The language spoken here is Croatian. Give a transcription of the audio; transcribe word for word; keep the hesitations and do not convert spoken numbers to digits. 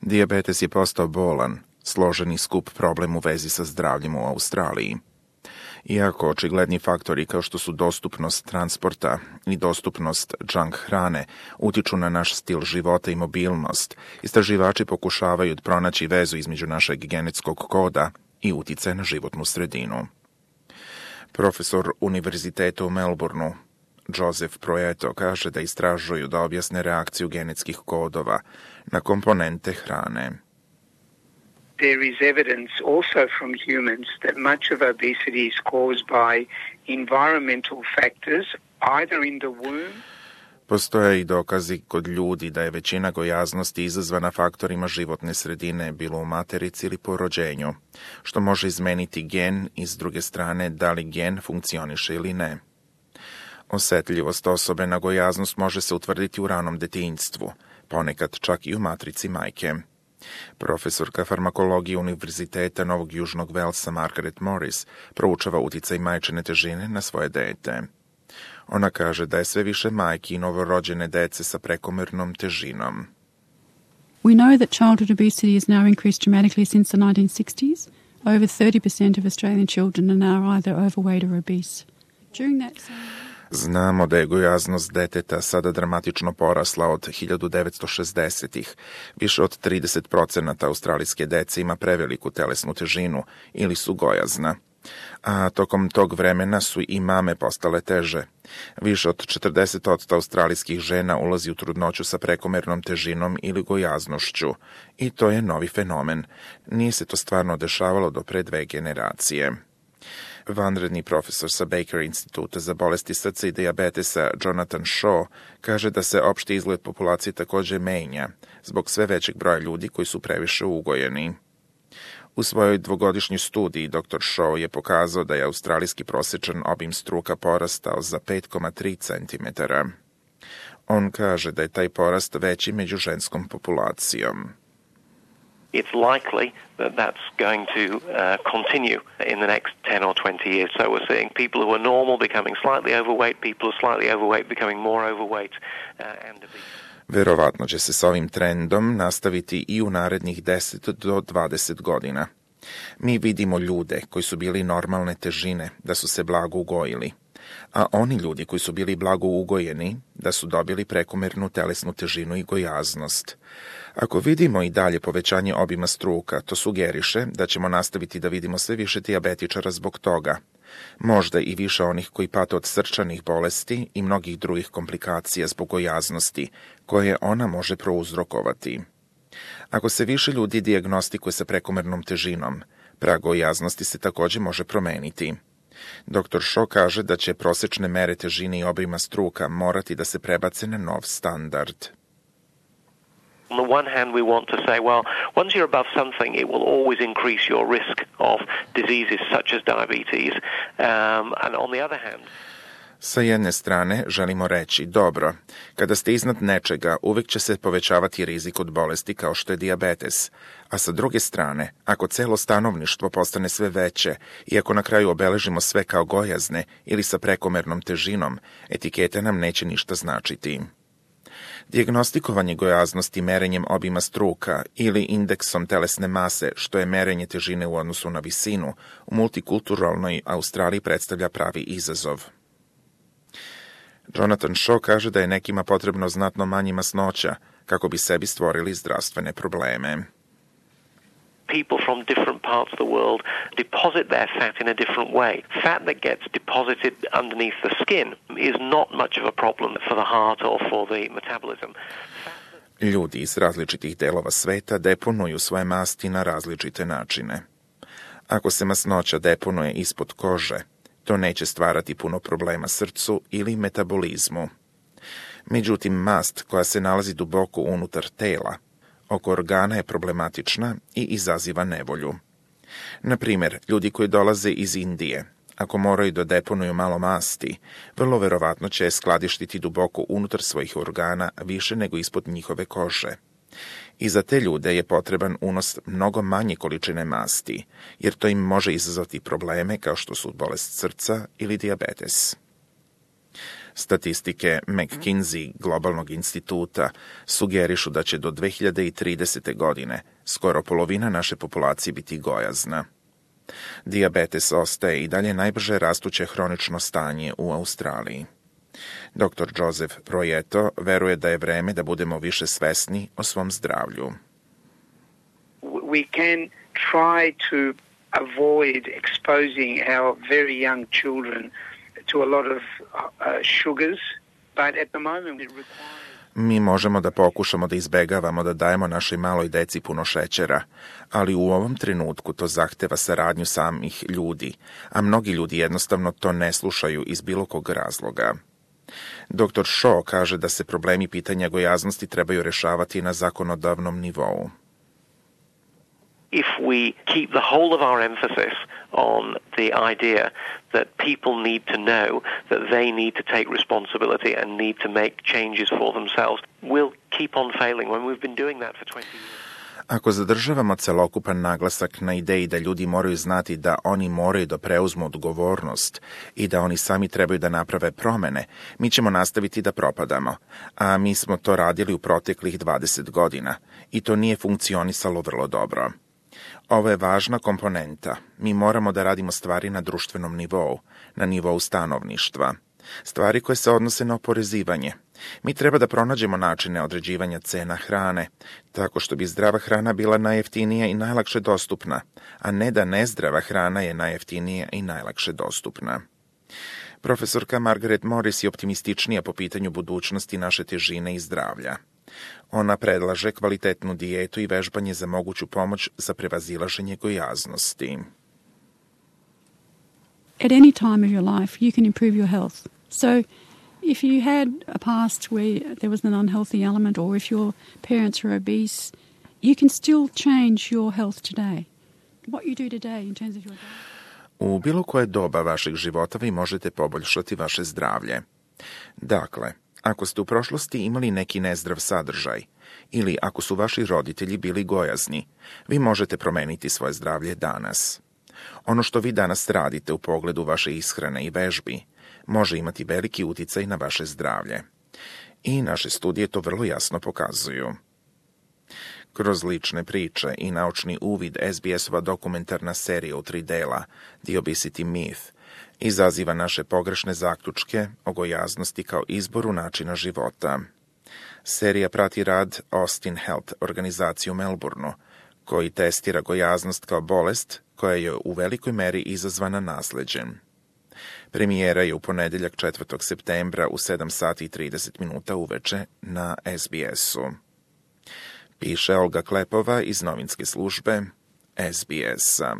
Dijabetes je postao bolan, složeni skup problem u vezi sa zdravljem u Australiji. Iako očigledni faktori kao što su dostupnost transporta i dostupnost junk hrane utiču na naš stil života i mobilnost, istraživači pokušavaju pronaći vezu između našeg genetskog koda i uticaja na životnu sredinu. Profesor Univerziteta u Melbourneu, Joseph Proeto, kaže da istražuju da objasne reakciju genetskih kodova na komponente hrane. There is evidence also from humans that much of obesity is caused by environmental factors, either in the womb. Postoje i dokazi kod ljudi da je većina gojaznosti izazvana faktorima životne sredine, bilo u materici ili po rođenju, što može izmeniti gen i s druge strane da li gen funkcioniše ili ne. Osetljivost osobe na gojaznost može se utvrditi u ranom detinjstvu, ponekad čak i u matrici majke. Profesorka farmakologije Univerziteta Novog Južnog Velsa Margaret Morris proučava uticaj majčine težine na svoje dete. Ona kaže da je sve više majki i novorođene dece sa prekomernom težinom. We know that childhood obesity has now increased dramatically since the nineteen sixties. Over thirty percent of Australian children are now either overweight or obese. During that same... Znamo da je gojaznost deteta sada dramatično porasla od hiljadu devetsto šezdesetih. Više od trideset procenata australijske dece ima preveliku telesnu težinu ili su gojazna. A tokom tog vremena su i mame postale teže. Više od četrdeset posto australijskih žena ulazi u trudnoću sa prekomernom težinom ili gojaznošću. I to je novi fenomen. Nije se to stvarno dešavalo do pre dve generacije. Vanredni profesor sa Baker instituta za bolesti srca i dijabetesa Jonathan Shaw kaže da se opšti izgled populacije također menja zbog sve većeg broja ljudi koji su previše ugojeni. U svojoj dvogodišnjoj studiji doktor Shaw je pokazao da je australijski prosječan obim struka porastao za pet zarez tri centimetara. On kaže da je taj porast veći među ženskom populacijom. It's likely that that's going to uh, continue in the next ten or twenty years. So we're seeing people who are normal becoming slightly overweight, people who are slightly overweight becoming more overweight. Uh, and Verovatno će se s ovim trendom nastaviti i u narednih deset do dvadeset godina. Mi vidimo ljude koji su bili normalne težine da su se blago ugojili, a oni ljudi koji su bili blago ugojeni da su dobili prekomernu telesnu težinu i gojaznost. Ako vidimo i dalje povećanje obima struka, to sugeriše da ćemo nastaviti da vidimo sve više dijabetičara zbog toga. Možda i više onih koji pate od srčanih bolesti i mnogih drugih komplikacija zbog gojaznosti, koje ona može prouzrokovati. Ako se više ljudi dijagnostikuje sa prekomernom težinom, prag gojaznosti se također može promeniti. doktor Shaw kaže da će prosječne mere težine i obima struka morati da se prebace na nov standard. On the one hand, we want to say, well, once you're above something, it will always increase your risk of diseases such as diabetes. Um, and on the other hand... Sa jedne strane želimo reći, dobro, kada ste iznad nečega, uvek će se povećavati rizik od bolesti kao što je dijabetes. A sa druge strane, ako celo stanovništvo postane sve veće i ako na kraju obeležimo sve kao gojazne ili sa prekomernom težinom, etikete nam neće ništa značiti. Dijagnostikovanje gojaznosti merenjem obima struka ili indeksom telesne mase, što je merenje težine u odnosu na visinu, u multikulturalnoj Australiji predstavlja pravi izazov. Jonathan Shaw kaže da je nekima potrebno znatno manje masnoća kako bi sebi stvorili zdravstvene probleme. People from different parts of the world deposit their fat in a different way. Fat that gets deposited underneath the skin is not much of a problem for the heart or for the metabolism. Ljudi iz različitih delova sveta deponuju svoje masti na različite načine. Ako se masnoća deponuje ispod kože, to neće stvarati puno problema srcu ili metabolizmu. Međutim, mast koja se nalazi duboko unutar tela, oko organa je problematična i izaziva nevolju. Na primjer, ljudi koji dolaze iz Indije, ako moraju da deponuju malo masti, vrlo verovatno će skladištiti duboko unutar svojih organa više nego ispod njihove kože. I za te ljude je potreban unos mnogo manje količine masti, jer to im može izazvati probleme kao što su bolest srca ili dijabetes. Statistike McKinsey globalnog instituta sugerišu da će do dve hiljade tridesete. godine skoro polovina naše populacije biti gojazna. Dijabetes ostaje i dalje najbrže rastuće hronično stanje u Australiji. doktor Joseph Proieto veruje da je vreme da budemo više svesni o svom zdravlju. We can try to avoid exposing our very young children to a lot of uh, sugars, but at the moment it requires... Mi možemo da pokušamo da izbegavamo da dajemo našoj maloj deci puno šećera, ali u ovom trenutku to zahteva saradnju samih ljudi, a mnogi ljudi jednostavno to ne slušaju iz bilo kog razloga. doktor Shaw kaže da se problemi pitanja gojaznosti trebaju rešavati na zakonodavnom nivou. If we keep the whole of our emphasis on the idea that people need to know that they need to take responsibility and need to make changes for themselves, we'll keep on failing when we've been doing that for twenty years. Ako zadržavamo celokupan naglasak na ideji da ljudi moraju znati da oni moraju da preuzmu odgovornost i da oni sami trebaju da naprave promene, mi ćemo nastaviti da propadamo, a mi smo to radili u proteklih dvadeset godina i to nije funkcionisalo vrlo dobro. Ovo je važna komponenta. Mi moramo da radimo stvari na društvenom nivou, na nivou stanovništva. Stvari koje se odnose na oporezivanje. Mi treba da pronađemo načine određivanja cena hrane, tako što bi zdrava hrana bila najjeftinija i najlakše dostupna, a ne da nezdrava hrana je najjeftinija i najlakše dostupna. Profesorka Margaret Morris je optimističnija po pitanju budućnosti naše težine i zdravlja. Ona predlaže kvalitetnu dijetu i vežbanje za moguću pomoć za prevazilaženje gojaznosti. At any time of your life, you can improve your health. So, if you had a past where there was an unhealthy element, or if your parents were obese, you can still change your health today. What you do today in terms of your diet. U bilo koje doba vašeg života vi možete poboljšati vaše zdravlje. Dakle, ako ste u prošlosti imali neki nezdrav sadržaj ili ako su vaši roditelji bili gojazni, vi možete promeniti svoje zdravlje danas. Ono što vi danas radite u pogledu vaše ishrane i vežbi može imati veliki uticaj na vaše zdravlje. I naše studije to vrlo jasno pokazuju. Kroz lične priče i naučni uvid S B S-ova dokumentarna serija u tri dela, The Obesity Myth, izaziva naše pogrešne zaključke o gojaznosti kao izboru načina života. Serija prati rad Austin Health organizacije u Melbourneu, koji testira gojaznost kao bolest koja je u velikoj meri izazvana nasleđem. Premijera je u ponedeljak četvrtog septembra u sedam sati i trideset minuta uveče na S B S-u. Piše Olga Klepova iz novinske službe S B S-a.